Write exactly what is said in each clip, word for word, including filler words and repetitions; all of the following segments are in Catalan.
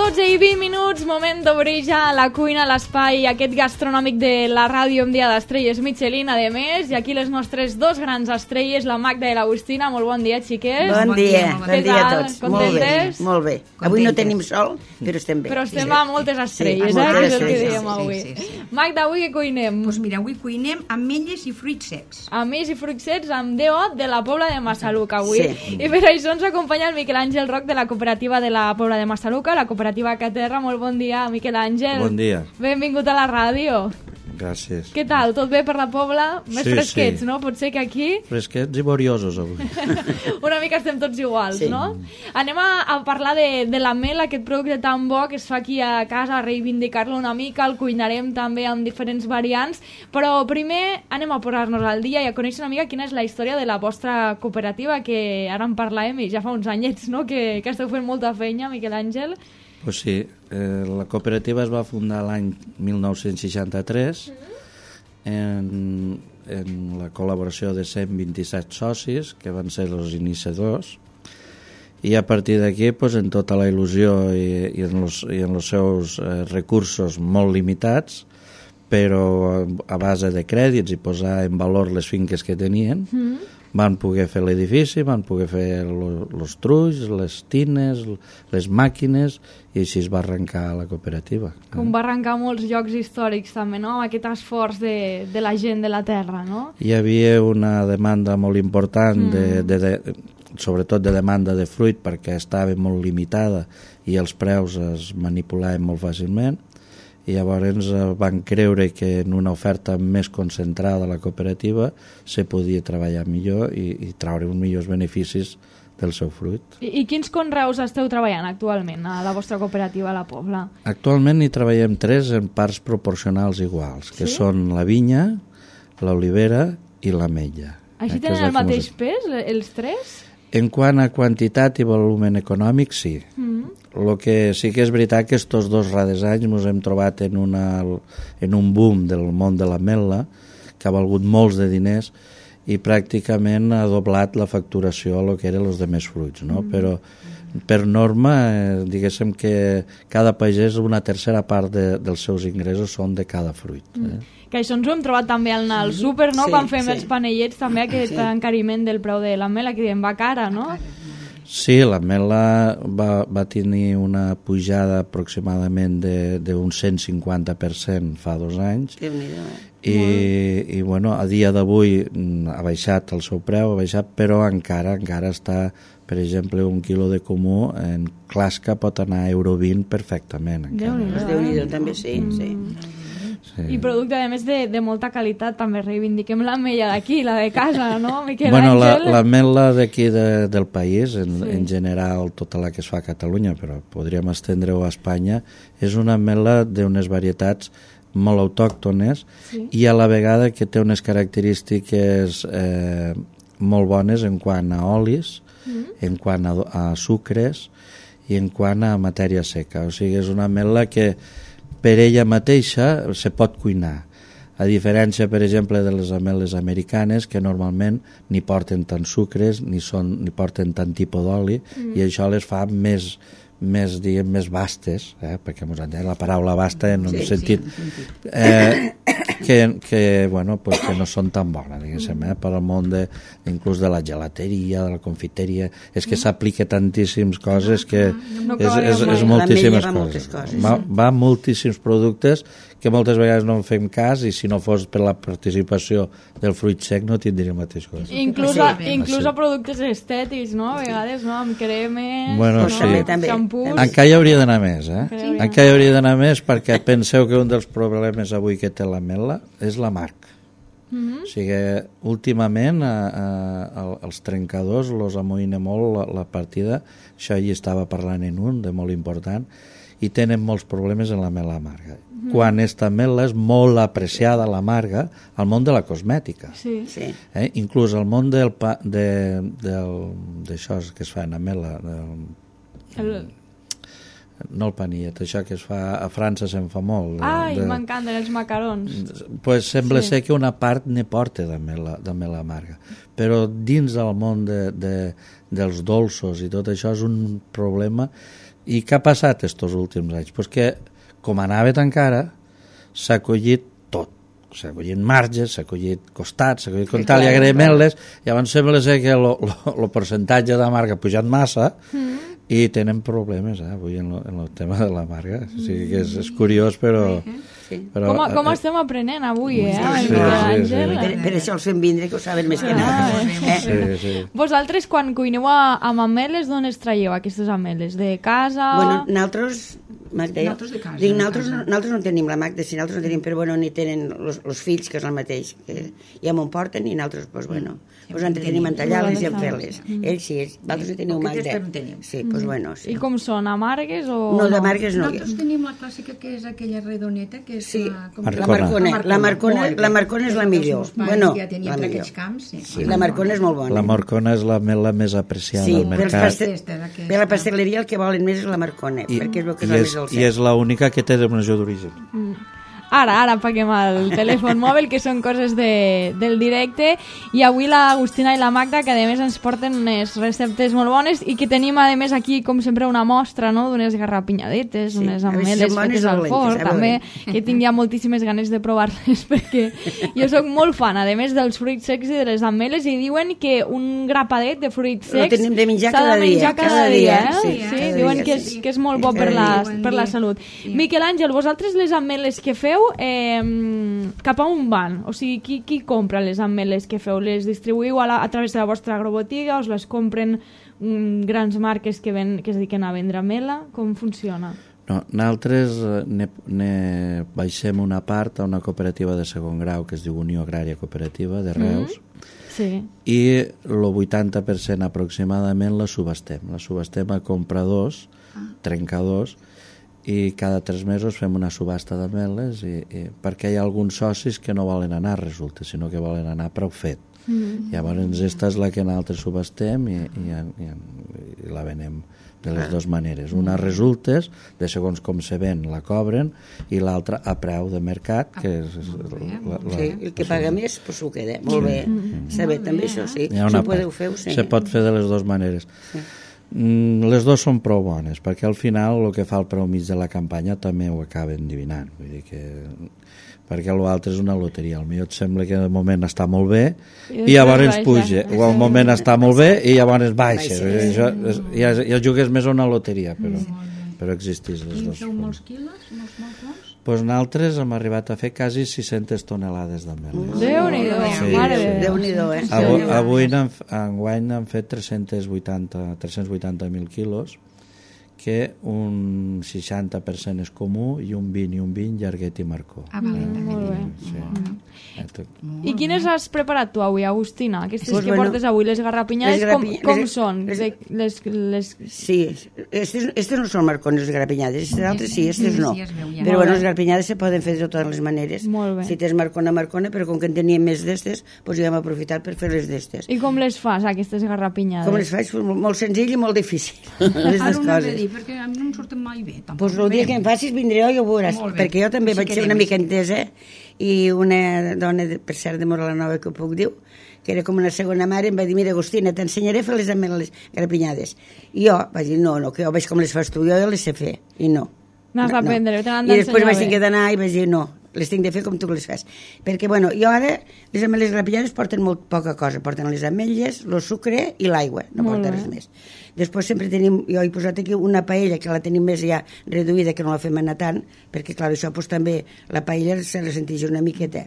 dotze i vint minuts, moment d'obrir ja la cuina, l'espai aquest gastronòmic de la ràdio amb Dia d'Estrelles Michelin, a més, i aquí les nostres dos grans estrelles, la Magda i l'Agustina. Molt bon dia, xiques. Bon, bon dia, bon dia, bon dia a tots. Contentes? Molt bé, molt bé. Avui no tenim sol, però estem bé. Però estem a moltes estrelles, sí, eh, que és el sí, que sí, dèiem sí, avui. sí, sí, sí. Magda, avui què cuinem? Doncs pues mira, avui cuinem ametlles i fruits secs. Ametlles i fruits secs amb D O de la Pobla de Massaluca, avui. Sí. I per això ens acompanya el Miquel Àngel Roc de la cooperativa de la Pobla de Massaluca, la cooperativa Caterra. Molt bon dia, Miquel Àngel. Bon dia. Benvingut a la ràdio. Gràcies. Què tal? Tot bé per la Pobla? Més sí, fresquets, sí. no? Potser que aquí... Fresquets i boriosos, avui. Una mica estem tots iguals, sí. no? Anem a, a parlar de, de la mel, aquest producte tan bo que es fa aquí a casa, a reivindicar-lo una mica, el cuinarem també amb diferents variants, però primer anem a posar-nos al dia i a conèixer una mica quina és la història de la vostra cooperativa, que ara en parlàvem i ja fa uns anyets, no?, que, que esteu fent molta feina, Miquel Àngel. Pues sí, eh, la cooperativa es va fundar l'any mil nou-cents seixanta-tres en, en la col·laboració de cent vint-i-set socis, que van ser els iniciadors, i a partir d'aquí, pues, en tota la il·lusió i, i, en los, i en els seus eh, recursos molt limitats, però a base de crèdits i posar en valor les finques que tenien, mm. van poder fer l'edifici, van poder fer els trulls, les tines, les màquines, i així es va arrencar la cooperativa. Com va arrencar molts llocs històrics també, no?, amb aquest esforç de, de la gent de la terra, no? Hi havia una demanda molt important, mm. de, de, de, sobretot de demanda de fruit, perquè estava molt limitada i els preus es manipulaven molt fàcilment, i llavors van creure que en una oferta més concentrada a la cooperativa se podia treballar millor i, i traure uns millors beneficis del seu fruit. I, I quins conreus esteu treballant actualment a la vostra cooperativa a la Pobla? Actualment hi treballem tres en parts proporcionals iguals, que sí? Són la vinya, l'olivera i l'ametlla. Així tenen el mateix pes, els tres? En quant a quantitat i volum econòmic, sí. Mm. Lo que sí que és veritat que estos dos darrers anys ens hem trobat en, una, en un boom del món de l'ametla que ha valgut molts de diners i pràcticament ha doblat la facturació a lo que eren els demés fruits, no? Mm. Però per norma, eh, diguéssim que cada pagès una tercera part de, dels seus ingressos són de cada fruit. Mm. Eh? Que això ens ho hem trobat també al, al súper, no? Sí, Quan fem sí. els panellets, també aquest sí. encariment del preu de l'ametla, que diem va cara, no? Sí, l'ametla va, va tenir una pujada aproximadament d'un cent cinquanta per cent fa dos anys. I, i bueno, a dia d'avui ha baixat el seu preu, ha baixat, però encara encara està, per exemple, un quilo de comú en clasca pot anar a euro vint perfectament. Déu-n'hi-do, Déu-n'hi-do, també sí, mm. sí. Sí. I producte, a més, de, de molta qualitat, també reivindiquem l'ametlla d'aquí, la de casa, no, Miquel bueno, Àngel? L'ametla d'aquí de, del país, en, sí. en general tota la que es fa a Catalunya, però podríem estendre-ho a Espanya, és una ametla d'unes varietats molt autòctones sí. i a la vegada que té unes característiques eh, molt bones en quant a olis, mm. en quant a, a sucres i en quant a matèria seca. O sigui, és una ametla que per ella mateixa se pot cuinar, a diferència, per exemple, de les ametles americanes, que normalment ni porten tant sucres ni, són, ni porten tant tipus d'oli, mm. i això les fa més, més, diguem, més vastes, eh? Perquè mos entén la paraula vasta en un sí, sentit sí, eh, que, que, bueno, pues que no són tan bones, diguéssim, eh? Per al món de, inclús de la gelateria, de la confiteria, és que s'aplica tantíssimes coses que no és, és, és moltíssimes va coses. coses. Va, va moltíssims productes que moltes vegades no en fem cas i si no fos per la participació del fruit sec no tindria el mateix cosa. Inclús, a, sí, inclús sí. a productes estètics, no? A vegades, no? Amb cremes, bueno, no? sí. també, xampús... Encara hi hauria d'anar més, eh? Sí. Encara hi hauria d'anar més perquè penseu que un dels problemes avui que té l'ametla és l'amarg. Mm-hmm. O sigui, últimament a, a, els trencadors los amoïna molt la, la partida, això hi estava parlant en un, de molt important, i tenen molts problemes en l'ametla amarga. Mm. Quan esta ametla és molt apreciada, l'amarga, al món de la cosmètica. Sí. Sí. Eh? Inclús al món del pa, de, del, d'això que es fa en ametla, del, El... no el panillet, això que es fa a França se'n fa molt. Ai, de, m'encanten els macarons. Pues sembla sí. ser que una part ne porta d'ametla amarga, però dins del món de, de, dels dolços i tot això és un problema I què ha passat estos últims anys? Pues que, com anava tan cara, s'ha collit tot. S'ha collit marges, s'ha collit costats, s'ha collit com tal, i agraïment-les, llavors sembla ser que el percentatge de marga ha pujat massa mm. i tenen problemes eh, avui en el tema de la marga. O sigui que és, és curiós, però... Sí. Però, com, com estem aprenent avui, eh? Sí, sí, sí, sí. Per, per això els fem vindre, que ho saben més que nada. Eh? Sí, sí. Vosaltres, quan cuineu amb ameles, d'on es traieu aquestes ameles? De casa? Bueno, nosaltres... Magda, Nosaltres de casa. Dic, de nosaltres, casa. no, nosaltres no tenim la Magda, si nosaltres no tenim, però bueno, ni tenen els fills, que és el mateix, que ja m'ho porten i nosaltres, doncs bueno, pues entretenim en tallar-les i en fer-les. Ells sí, ells, vosaltres no teniu Magda. Sí, doncs bueno, sí. I com són, amargues o...? No, de margues no. Nosaltres tenim la clàssica que és aquella redoneta, que és Sí, la... la Marcona. La Marcona, la Marcona és la millor. Bueno, ja tenia la per millor. aquells camps, sí. Sí, la Marcona és molt bona. La Marcona és la mela més apreciada Sí, al pels mercat. pastel, per la pastel·leria el que volen més és la Marcona, I, perquè és el que i, és la és, més al i és l'única que té denominació d'origen. Mm. Ara, ara paguem el telèfon mòbil, que són coses de, del directe, i avui l'Agustina i la Magda, que a més ens porten unes receptes molt bones i que tenim a més aquí, com sempre, una mostra, no?, d'unes garrapinyadetes, Sí, unes a veure si ameles són bones fetes o al dolentes, forn, a també, veure. que tinc ja moltíssimes ganes de provar-les, perquè jo sóc molt fan, a més dels fruits secs i de les ameles, i diuen que un grapadet de fruits Lo secs tenim de menjar s'ha cada de dia, menjar cada, cada dia, dia, eh? sí, Sí, cada diuen dia, que és, sí. que és molt bo per Cada la, dia. per la salut. Miquel Àngel, vosaltres les ameles que feu, eh, cap a on van? O sigui, qui, qui compra les ameles que feu? Les distribuïu a, la, a través de la vostra agrobotiga? Us les compren mm, grans marques que, ven, que es dediquen a vendre amela? Com funciona? No, nosaltres eh, ne, ne baixem una part a una cooperativa de segon grau que es diu Unió Agrària Cooperativa de Reus, mm. Sí. i el vuitanta per cent aproximadament la subestem. La subestem a compradors, ah. trencadors, i cada tres mesos fem una subhasta d'ameles i, i, perquè hi ha alguns socis que no volen anar, resulta, sinó que volen anar prou fet. Mm. Llavors esta és la que nosaltres subhastem i, i, i, i la venem de les dues maneres. Una resultes, de segons com se ven la cobren, i l'altra a preu de mercat, que és la, la, Sí, el que paga més, pues s'ho queda. Molt bé. Està bé, també això, sí. Hi ha Si una ho podeu part. fer, ho sé. Se pot fer de les dues maneres. Sí. Mm, les dues són prou bones, perquè al final el que fa el preu mig de la campanya també ho acaben divinant, vull dir que perquè l'altre és una loteria, al millor et sembla que de moment està molt bé i, i llavors puja, o al moment està molt bé i llavors baixa, baixa. Això, és, ja, ja jugues més a una loteria, però, però existís les I dues feu formes. molts quilos, molts, molts, molts? Pues nosaltres hem arribat a fer quasi sis-centes tonelades d'ameles. Déu-n'hi-do, Sí, mare de Déu. Déu-n'hi-do, eh? Avui, avui n'han- enguany han fet tres-cents vuitanta tres-cents vuitanta mil quilos, que un seixanta per cent és comú i un vint i un vint llarguet i marcó. Ah, vale, Mm, també. molt bé. Sí. Eh, tot- I quines has preparat tu avui, Agustina? Aquestes Pues que bueno, portes avui, les garrapinyades, les com, garrapi- com les- són? les- De, les, les... Sí, estes, estes no són marcones, les garrapinyades, estes altres sí, estes no. Sí, es veu ja. Però Molt bueno, bé. les garrapinyades se poden fer de totes les maneres. Molt bé. Si tens marcona, marcona, però com que en teníem més d'estes, doncs ja hem aprofitat per fer les d'estes. I com les fas, aquestes garrapinyades? Com les faig? Pues molt, molt senzill i molt difícil, les Ara dues ho anava a coses. dir, perquè a mi no em surten mai bé. Tampoc. Pues el dia que em facis vindré jo i ho veuràs, Molt bé. perquè jo també Així vaig ser una quedem. mica entesa i una dona, de, per cert, de Mora la Nova, que ho puc dir, que era com una segona mare, em va dir, mira, Agustina, t'ensenyaré a fer les ameles garrapinyades. I jo vaig dir, no, no, que jo veig com les fas tu, jo ja les sé fer, i no. N'has No, no. d'aprendre, te n'han I després d'ensenyar vaig bé. tenir d'anar i vaig dir, no, les tinc de fer com tu les fas. Perquè, bueno, jo ara, les ameles garrapinades porten molt poca cosa, porten les ametlles, el sucre i l'aigua, no Molt porta bé. res més. Després sempre tenim, jo he posat aquí una paella que la tenim més ja reduïda, que no la fem anar tant, perquè, clar, això pues, també la paella se la senteix una miqueta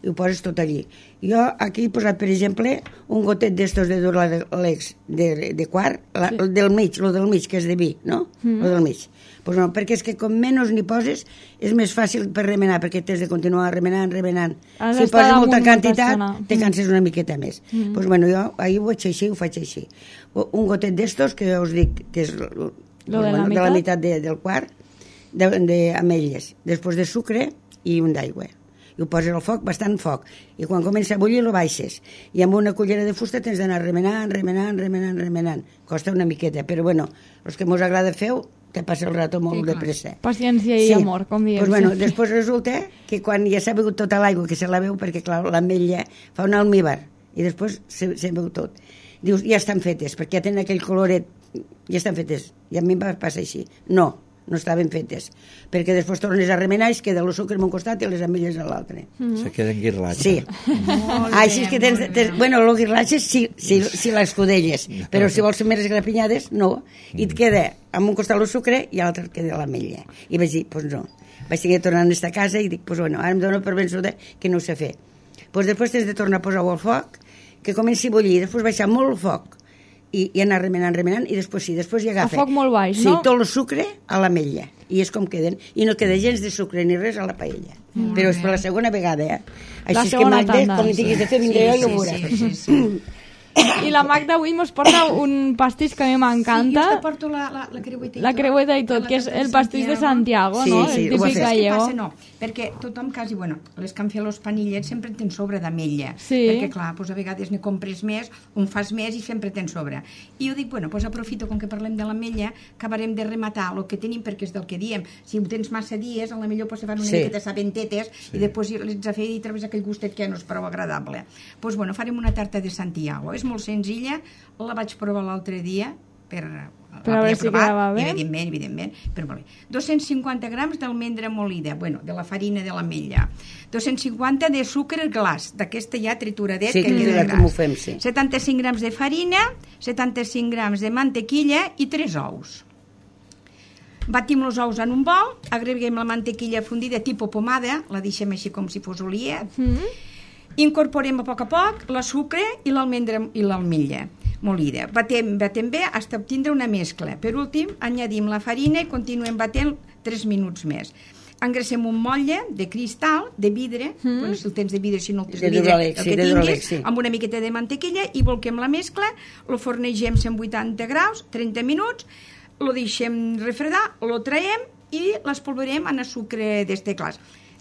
i ho poses tot allí. Jo aquí he posat, per exemple, un gotet d'estos de Duralex de, de quart, la, el del mig, el del mig, que és de vi, no? Mm. El del mig. Pues no, perquè és que com menys n'hi poses és més fàcil per remenar, perquè t'has de continuar remenant, remenant. Has Si d'estar poses damunt molta molta quantitat, estona. te Mm. canses una miqueta més. Mm. Pues bueno, jo ahir ho vaig fer així, ho faig així. Un gotet d'estos, que us dic que és l- l- Lo de la bueno, de la meitat? meitat de, del quart, d'ametlles, després de sucre i un d'aigua. I ho poses al foc, bastant foc. I quan comença a bullir, lo baixes. I amb una cullera de fusta tens d'anar remenant, remenant, remenant, remenant. Costa una miqueta, però bueno, els que mos agrada fer-ho, te passa el rato molt Sí, de clar. pressa. Paciència i amor, com diem. Pues bueno, sempre. després resulta que quan ja s'ha begut tota l'aigua, que se la veu, perquè clar, l'ametlla fa un almíbar, i després se, se veu tot. Dius, ja estan fetes, perquè ja tenen aquell coloret ja estan fetes. I a mi em va passar així. No, no estaven fetes, perquè després tornes a remenar i es queda el sucre en un costat i les ametlles a l'altre. Mm. Se queden guirlatges. Sí. Així és que tens, tens bueno, els guirlatges sí, sí, sí l'escudelles, però si vols ser més esgrapinyades, no. I et queda amb un costat el sucre i a l'altre et queda l'ametlla. I vaig dir, doncs pues no. Vaig tenir de tornar a aquesta casa i dic, doncs pues bueno, ara em dono per vençuda que no ho sé fer. Doncs pues després tens de tornar a posar-ho al foc, que comenci a bullir, després baixar molt el foc, i, i anar remenant, remenant, i després sí, després hi agafa... A foc molt baix, sí, no? Sí, tot el sucre a l'ametlla, i és com queden, i no queda gens de sucre ni res a la paella. Mm, però és per la segona vegada, eh? La Així segona és que Magda, tanda. quan hi tinguis de fer, vindré sí, jo i ho sí, veuràs. sí, sí, sí. I la Magda avui mos porta un pastís que a mi Sí, m'encanta. jo te porto la, la, la creueta i La tot. creueta i tot, La que és tarta el pastís de Santiago, Sí, no? sí, El ho ha típic fet. Què gallego. passa? No, perquè tothom quasi, bueno, les que han fet els panillets sempre en tens sobre d'ametlla. Sí. Perquè, clar, doncs a vegades ne compres més, un fas més i sempre tens sobre. I jo dic, bueno, doncs aprofito, com que parlem de l'ametlla, acabarem de rematar el que tenim, perquè és del que diem. Si ho tens massa dies, a la millor pues, se fan una Sí. miqueta sabentetes sí. I després les has fet i trobes aquell gustet que no és prou agradable. Doncs, pues, bueno, farem una tarta de Santiago. És molt senzilla, la vaig provar l'altre dia per... Per a veure si quedava bé. Evidentment, evidentment, però molt bé. dos-cents cinquanta grams d'almendra molida, bueno, de la farina de l'ametlla. dos-cents cinquanta de sucre glaç, d'aquesta ja trituradet Sí, que queda triturat, com ho gras. fem, sí. setanta-cinc grams de farina, setanta-cinc grams de mantequilla i tres ous. Batim els ous en un bol, agreguem la mantequilla fundida tipus pomada, la deixem així com si fos oliet, Mm. incorporem a poc a poc la sucre i l'almendra i l'ametlla molida. Batem, batem bé fins a obtindre una mescla. Per últim, añadim la farina i continuem batent tres minuts més. Engracem un motlle de cristal, de vidre, mm. bueno, si el tens de vidre, si no el tens de, De vidre, Duralex, el sí, que de tinguis, Duralex, sí. amb una miqueta de mantequilla i volquem la mescla, lo fornegem cent vuitanta graus, trenta minuts, lo deixem refredar, lo traiem i l'espolverem en el sucre d'este glaç.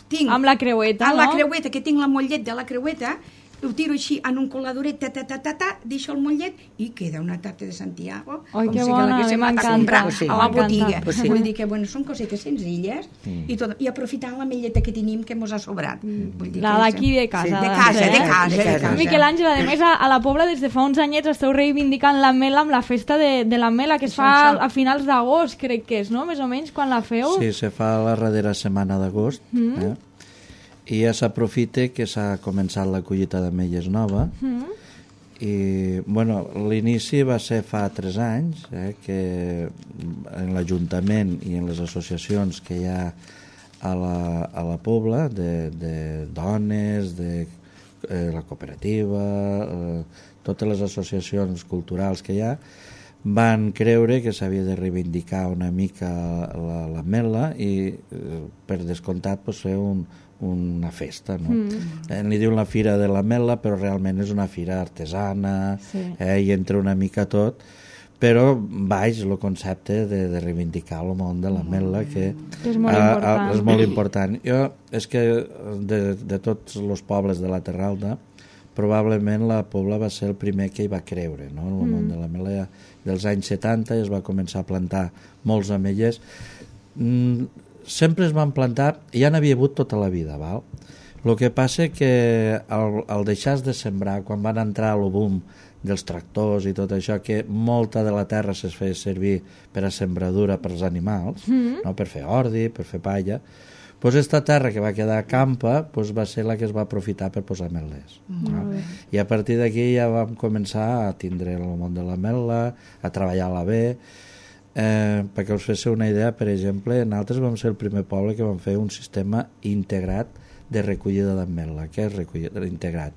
Tinc, Amb la creueta, amb no? la creueta, que tinc la motllet de la creueta, ho tiro així en un coladoret, ta, ta, ta, ta, ta, deixo el motllet i queda una tarta de Santiago. Ai, com que si bona, la haguéssim anat a m'encanta. comprar Pues sí. a la M'encanta. botiga. Pues sí. Vull dir que, bueno, són cosetes senzilles mm. i, tot, i aprofitant la melleta que tenim que mos ha sobrat. Vull dir La que d'aquí de casa. Sí, de ha casa, ser, de eh? casa, de casa. Miquel Àngel, a més, a, a la Pobla des de fa uns anyets esteu reivindicant la mela amb la festa de, de la mela, que es fa a finals d'agost, crec que és, no? Més o menys, quan la feu. Sí, se fa la darrera setmana d'agost, mm. eh? I ja s'aprofita que s'ha començat la collita d'ametlles nova, mm. i, bueno, l'inici va ser fa tres anys, eh, que en l'Ajuntament i en les associacions que hi ha a la, a la Pobla, de, de dones, de eh, la cooperativa, eh, totes les associacions culturals que hi ha, van creure que s'havia de reivindicar una mica la, la mela i, eh, per descomptat, pues, fer un, una festa, no? Mm. Eh, li diuen la Fira de la Mela, però realment és una fira artesana, sí. eh, i entra una mica tot, però baix el concepte de, de reivindicar el món de la mela, que, que és molt a, important. A, és molt important. Jo, és que de, de tots els pobles de la Terra Alta, probablement la Pobla va ser el primer que hi va creure, no? El món mm. de la mela ja, dels anys setanta, i es va començar a plantar molts ametllers. Mm, sempre es van plantar, ja n'havia hagut tota la vida, val? El que passa que al, al deixar de sembrar, quan van entrar al boom dels tractors i tot això, que molta de la terra es feia servir per a sembradura per als animals, mm. no? Per fer ordi, per fer palla, doncs aquesta terra que va quedar campa doncs va ser la que es va aprofitar per posar ametlers. Mm. No? I a partir d'aquí ja vam començar a tindre el món de l'ametla, a treballar-la bé. Eh, perquè us féssiu una idea, per exemple, nosaltres vam ser el primer poble que vam fer un sistema integrat de recollida d'ametla. Què és recollida integrat?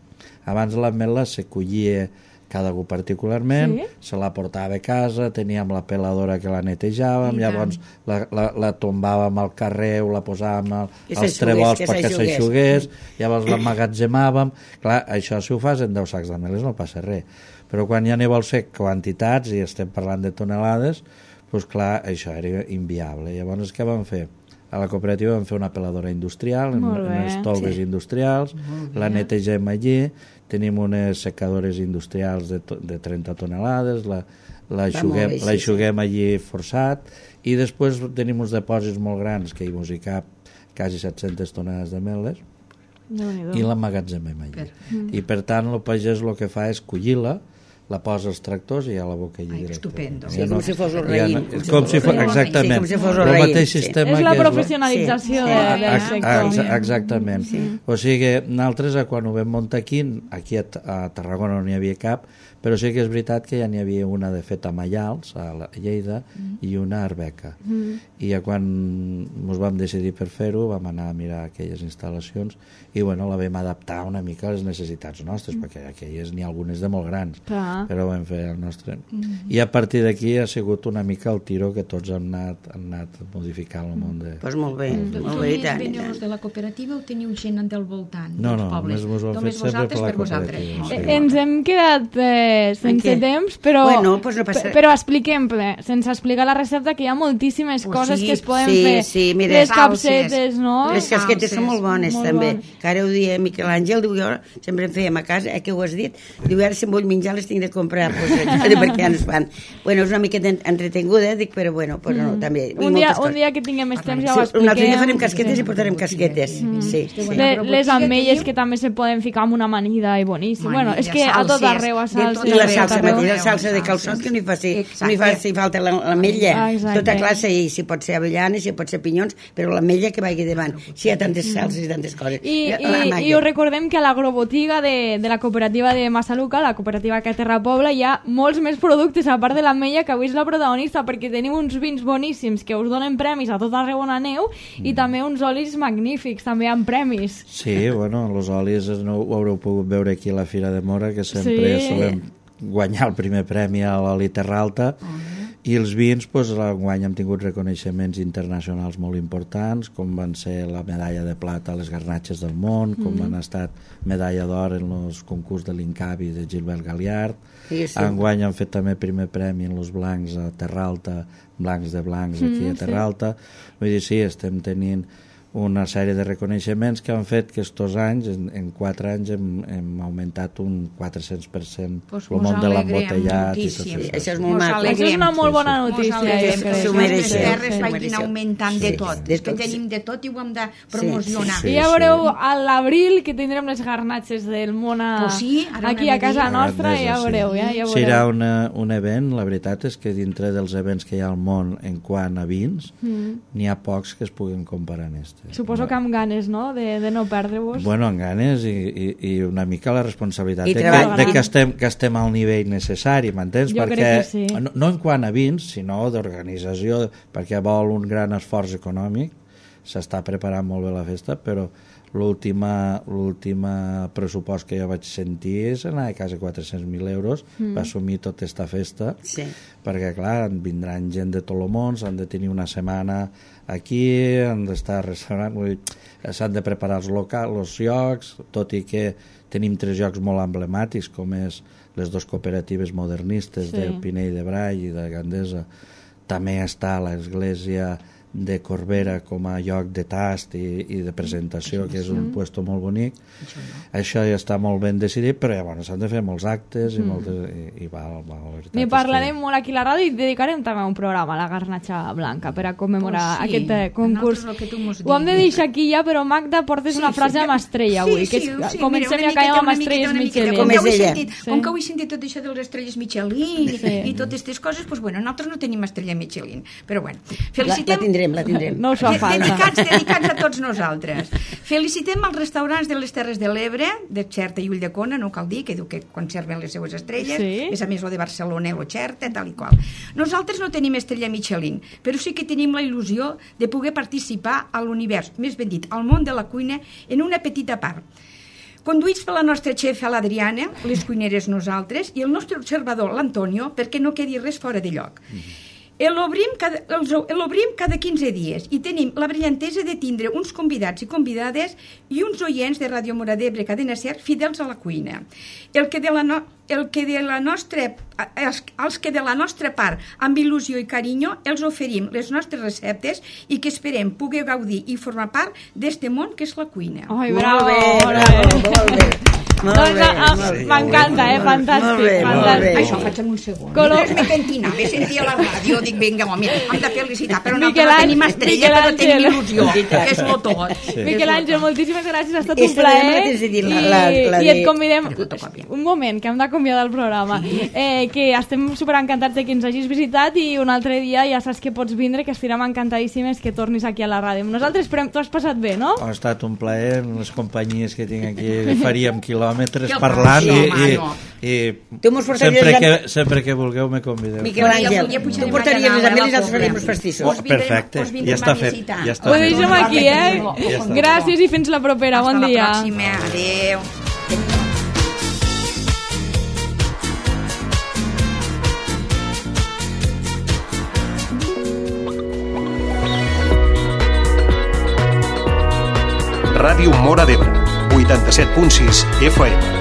Abans l'ametla se collia cada algú particularment, sí? Se la portava a casa, teníem la peladora que la netejàvem, llavors la, la, la tombàvem al carrer, la posàvem al, als trebols perquè s'aixugués, llavors l'emmagatzemàvem. Clar, això si ho fas en deu sacs d'ametlles no passa res, però quan ja n'hi vols fer quantitats, i estem parlant de tonelades, doncs clar, això era inviable. Llavors què vam fer? A la cooperativa vam fer una peladora industrial, en, en les tolves sí. industrials, la netegem allí, tenim unes secadores industrials de, de trenta tonelades, la, la aixuguem, la aixuguem allí forçat, i després tenim uns depòsits molt grans que hi mos hi cap quasi set-centes tonelades d'ametlles, i l'emmagatzemem allí. Mm. I per tant el pagès el que fa és collir-la, la posa als tractors i ja la boca allí directe. Estupendo. Sí, com si fos el ja raïm. no, com si fos, exactament. Sí, com si fos el el raïm, mateix sí. sistema És la que és professionalització Sí. de- del Ex- sector. ex- Exactament. Sí. O sigui, nosaltres, quan ho vam muntar aquí, aquí a, a Tarragona no n'hi havia cap, però sí que és veritat que ja n'hi havia una de fet a Maials, a la Lleida, mm. i una a Arbeca. Mm. I ja quan ens vam decidir per fer-ho, vam anar a mirar aquelles instal·lacions i bueno, la vam adaptar una mica a les necessitats nostres, mm. perquè aquelles n'hi ha algunes de molt grans, Clar. però vam fer el nostre. Mm. I a partir d'aquí ha sigut una mica el tiro que tots hem anat, hem anat modificant el món de... Doncs pues molt bé, mm. molt bé, i tant, i tant. de la cooperativa o teniu gent del voltant No, dels no, pobles? només mos ho hem fet sempre per la cooperativa. Molt Sí. bé. Ens hem quedat eh, sense què? temps, però, Bueno, pues no passa- pe- però expliquem, eh, sense explicar la recepta, que hi ha moltíssimes Oh, coses sí, que es poden sí, fer. sí, mira, les salses. capsetes, no? Les casquetes salses. són molt bones, Molt també. bones. Que ara ho dia Miquel Àngel, diu, jo sempre en fèiem a casa, eh, que ho has dit, diu, ara si em vull menjar les tinc de comprar, pues, eh, perquè ja no es fan. Bueno, és una miqueta entretinguda, dic, però bueno, però no, també. Un dia, un dia que tinguem més temps ja ho Sí, un altre dia farem expliquem. casquetes i portarem casquetes. Mm. Sí, sí. Le, les ametlles que també se poden ficar amb una amanida i boníssim. Bueno, és que a tot salses, arreu, a de salsa. tot I la arreu, salsa a tot arreu. mateixa, la salsa de calçot, que no hi faci, no hi faci falta la- l'ametlla. Ah, exacte. Tota classe, i si pot ser avellana, si pot ser pinyons, però l'ametlla que vagi davant. Si hi ha tantes salses i tantes coses. I, La i, màquina. i us recordem que a l'agrobotiga de, de la cooperativa de Massaluca, la cooperativa que a Terra Pobla, hi ha molts més productes a part de l'ametlla, que avui és la protagonista, perquè teniu uns vins boníssims que us donen premis a tot arreu on aneu Mm. i també uns olis magnífics, també amb premis. Sí, bueno, els olis no ho haureu pogut veure aquí a la Fira de Mora, que sempre Sí. solem guanyar el primer premi a l'oli Terralta, i els vins, doncs, enguany hem tingut reconeixements internacionals molt importants, com van ser la medalla de plata a les Garnatxes del Món, com mm. han estat medalla d'or en els concurs de l'Incavi de Gilbert Galiard. Sí, sí. Enguany han fet també primer premi en els blancs a Terralta, blancs de blancs aquí Mm, a Terralta. Vull dir, sí, estem tenint una sèrie de reconeixements que han fet que estos anys, en, en quatre anys, hem, hem augmentat un quatre-cents per cent Pues el mos món de alegrem l'embotellat i tot moltíssim. això. Això és Mos molt maco. alegrem. Això és una molt bona notícia. Mos alegrem jo que crec. les S'ho nostres mereixeu. terres S'ho vagin mereixeu. augmentant de Sí, tot. de És que tot, sí. tenim de tot i ho hem de promocionar. Sí, I ja veureu a l'abril que tindrem les garnatxes del món a... Pues sí, ara aquí anem a a casa dir. nostra, Grandesa, ja sí. veureu, ja, ja Serà veureu. una, un event, la veritat és que dintre dels events que hi ha al món en quant a vins, mm. n'hi ha pocs que es puguin comparar en este. Suposo que amb ganes, no?, de, de no perdre-vos. Bueno, amb ganes i, i, i una mica la responsabilitat I de, que, treball. de que, estem, que estem al nivell necessari, m'entens? Jo Perquè crec que sí. no, no en quant a vins, sinó d'organització, perquè vol un gran esforç econòmic, s'està preparant molt bé la festa, però l'última l'última pressupost que jo vaig sentir és anar a quasi quatre-cents mil euros mm. per assumir tota aquesta festa, Sí. perquè clar, vindran gent de tot el món, s'han de tenir una setmana aquí, han d'estar restaurant, vull dir, s'han de preparar els locals, els llocs, tot i que tenim tres llocs molt emblemàtics, com és les dues cooperatives modernistes Sí. de Pinell de Brai i de Gandesa. També està l'església de Corbera com a lloc de tast i, i de presentació, que és un puesto molt bonic. Això ja està molt ben decidit, però ja, bueno, s'han de fer molts actes i, moltes, i, i va, va, la veritat N'hi és parlarem que... molt aquí a la ràdio i dedicarem també un programa a la garnatxa blanca per a commemorar Pues sí, aquest eh, concurs. nosaltres el que tu mos Ho hem de diguis. deixar aquí ja, però Magda, portes una frase amb estrella avui, que és, sí, comencem mira, i acabem amb una miqueta, estrelles una miqueta, Michelin. Com, Com que és avui he ella. sentit, Sí. com que avui he sentit tot això de les estrelles Michelin Sí. i totes aquestes coses, doncs bueno, nosaltres no tenim estrella Michelin. Però bueno, La, la felicitem... tindrem, la tindrem. No us fa De- falta. Dedicats, dedicats a tots nosaltres. Felicitem els restaurants de les Terres de l'Ebre, de Xerta i Ulldecona, no cal dir, que diu que conserven les seues estrelles, Sí. és a més el de Barcelona, el Xerta, tal i qual. Nosaltres no tenim estrella Michelin, però sí que tenim la il·lusió de poder participar a l'univers, més ben dit, al món de la cuina, en una petita part. Conduïts per la nostra xefa, l'Adriana, les cuineres nosaltres, i el nostre observador, l'Antonio, perquè no quedi res fora de lloc. L'obrim cada, els- l'obrim cada quinze dies i tenim la brillantesa de tindre uns convidats i convidades i uns oients de Ràdio Mora d'Ebre, Cadena Ser, fidels a la cuina. El que de la, no, el que de la nostra, els, els que de la nostra part, amb il·lusió i carinyo, els oferim les nostres receptes i que esperem poder gaudir i formar part d'este món que és la cuina. Ai, Molt bravo, bé, molt bravo, bé. molt bé. Molt M'encanta, eh? Fantàstic. Això faig en un segon. Colom... Després me pentinava, me sentia a la ràdio, dic, vinga, home, hem de felicitar, però Miquel nosaltres Àngel, tenim estrella, Miquel però tenim Àngel. il·lusió, que és lo tot. Miquel Àngel, moltíssimes gràcies, ha estat Esta un plaer. mateix de dir la- I, la- la i et de- convidem... Un moment, que hem d'acomiadar el programa. Eh, que estem superencantats de que ens hagis visitat i un altre dia ja saps que pots vindre, que estirem encantadíssimes que tornis aquí a la ràdio. Nosaltres esperem, tu has passat bé, no? Ha estat un plaer, les companyies que tinc aquí, faríem quilòmetres Que parlant passió, i, home, i, no. i Tu mos portaries sempre, a- que, sempre que vulgueu me convideu. Miquel Àngel, Ja pujarem tu portaries allà les a la amelis i els Pobla. faríem els pastissos. Us vindrem- Perfecte, us vindrem ja està a fet, visitar. ja està Ho fet. deixem aquí, eh? Ja està. Gràcies i fins la propera. Bon Hasta dia. la pròxima, adeu. Ràdio Móra d'Ebre, vuitanta-set punt sis F M.